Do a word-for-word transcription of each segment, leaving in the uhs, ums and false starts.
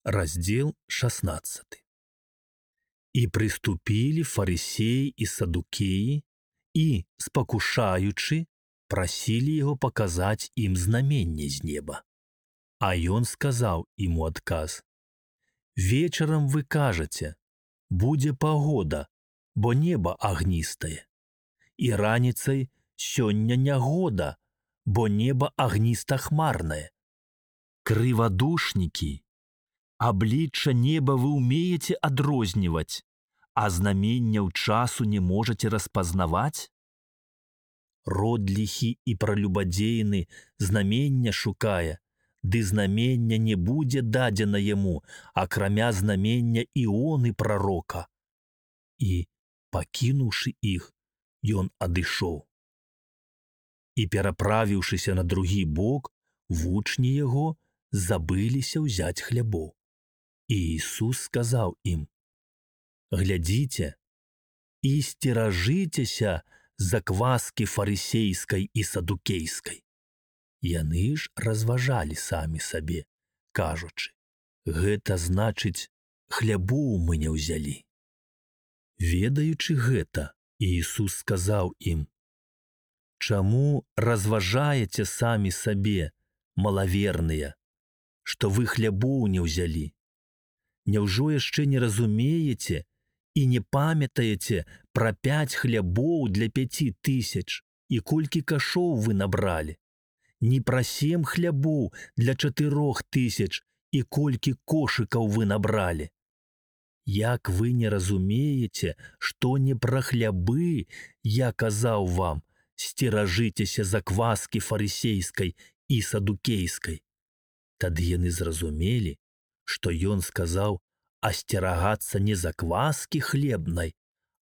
Раздел шестнадцатый. «І приступили фарисеи и садукеи, и, спокушаючи, просили его показать им знамение с неба. А он сказал ему отказ: вечером вы кажете, буде погода, бо небо огнистое, и раницей сёння нягода, бо небо огнисто-хмарное. Криводушники, обличчя неба вы умеете отрознивать, а знамення ў часу не можете распознавать? Родлихи и пролюбодейны знамення шукая, ды знамення не буде дадено ему, акрамя знамення Ионы пророка. И, покинувши их, ён адышоў. И, пераправіўшыся на другі бок, вучні его забыліся ўзяць хлябоў. И Иисус сказал им: глядите и стеражитеся закваски фарисейской и садукейской. Яны ж разважалі самі сабе, кажучы: гэта значыць, хлябоў мы не ўзялі. Ведаючы гэта, Иисус сказал им: чаму разважаеце самі сабе, малаверныя, што вы хлябоў не ўзялі? Няўжо яшчэ не разумееце і не памятаеце пра пяць хлябоў для пяці тысяч і колькі кашоў вы набралі? Не пра сем хлябоў для чатырох тысяч і колькі кошыкаў вы набралі? Як вы не разумееце, што не пра хлябы я казаў вам, стеражыцеся закваски фарисейской и садукейской? Тады яны зразумелі, што ён сказаў асцерагацца не закваски хлебнай,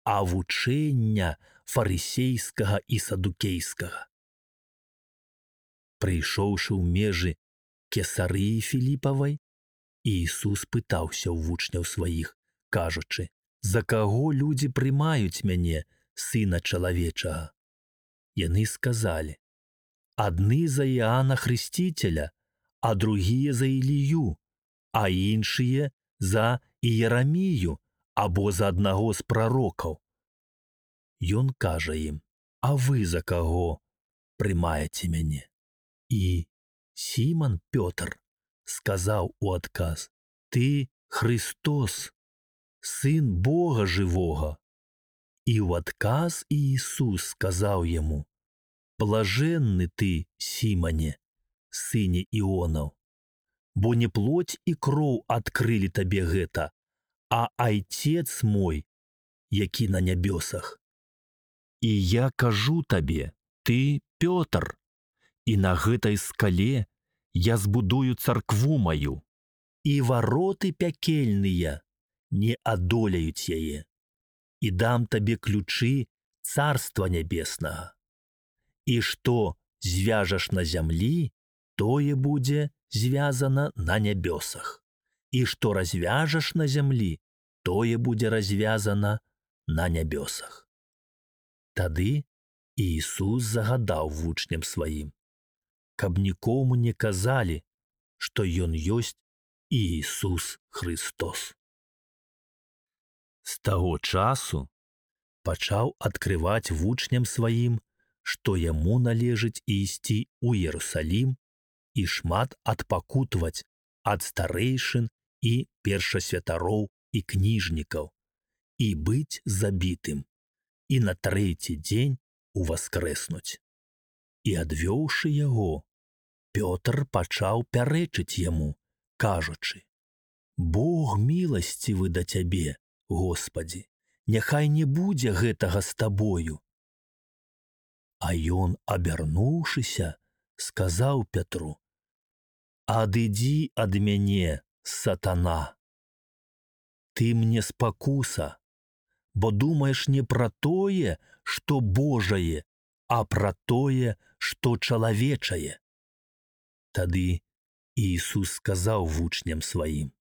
а вучэння фарисейскага і садукейскага. Прыйшоўшы ў межы Кесарыі Філіпавай, Иисус пытаўся ў вучняў сваіх, кажучы: за каго людзі прымаюць мяне, сына чалавечага? Яны сказалі: адны за Иоанна Хрысціцеля, а другія за Илию, а іншыя за Иерамію або за аднаго з прарокаў. Ён кажа ім: а вы за каго прымаеце мяне? І Сімон Пётр сказаў у адказ: ты Христос, сын Бога живого. І ў адказ Иисус сказаў яму: блаженны ты, Сімоне, сыне Ионов, бо не плоть и кроў адкрылі табе гэта, а Айцец мой, які на нябёсах. І я кажу табе, ты Пётр, і на гэтай скале я збудую царкву маю, і вароты пякельныя не адолеюць яе, і дам табе ключы царства нябеснага. І што звяжаш на зямлі, тое будзе звязана на нябёсах, і што развяжаш на зямлі, тое будзе развязана на нябёсах. Тады Иисус загадаў вучням сваім, каб нікому не казалі, што ён ёсць Иисус Христос. З таго часу пачаў адкрываць вучням сваім, што яму належыць ісці ў Иерусалім і шмат адпакутваць ад старэйшын і першасвятароў і кніжнікаў, і быць забітым, і на трэці дзень уваскрэснуць. І адвёўшы яго, Пётр пачаў пярэчыць яму, кажучы: Бог міласцівы да цябе, Господі, няхай не будзе гэтага з табою. А ён, абярнуўшыся, сказаў Пятру: адыдзі ад мяне, сатана. Ты мне спакуса, бо думаеш не пра тое, што Божае, а пра тое, што чалавечае. Тады Иисус сказаў вучням сваім: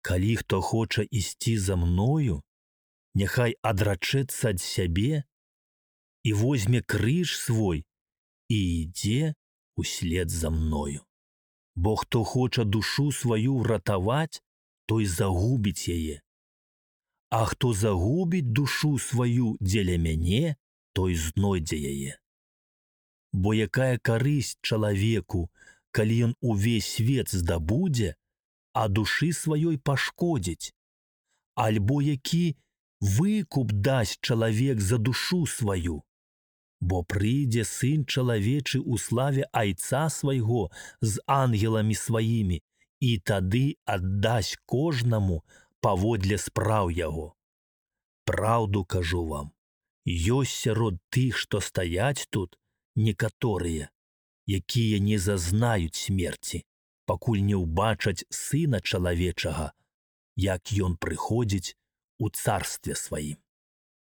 калі хто хоча ісці за мною, няхай адрачэцца ад сябе і возьме крыж свой і ідзе услед за мною. Бо хто хоча душу сваю ўратаваць, той загубіць яе. А хто загубіць душу сваю дзеля мяне, той знойдзе яе. Бо якая карысць чалавеку, калі ён увесь свет здабудзе, а душы сваёй пашкодзіць? Альбо які выкуп дасць чалавек за душу сваю? Бо прыйдзе сын чалавечы ў славе айца свайго з ангеламі сваімі, і тады аддасць кожнаму паводле спраў яго. Праўду кажу вам, ёсць сярод тых, што стаяць тут, некаторыя, якія не зазнаюць смерці, пакуль не ўбачаць сына чалавечага, як ён прыходзіць у царстве сваім.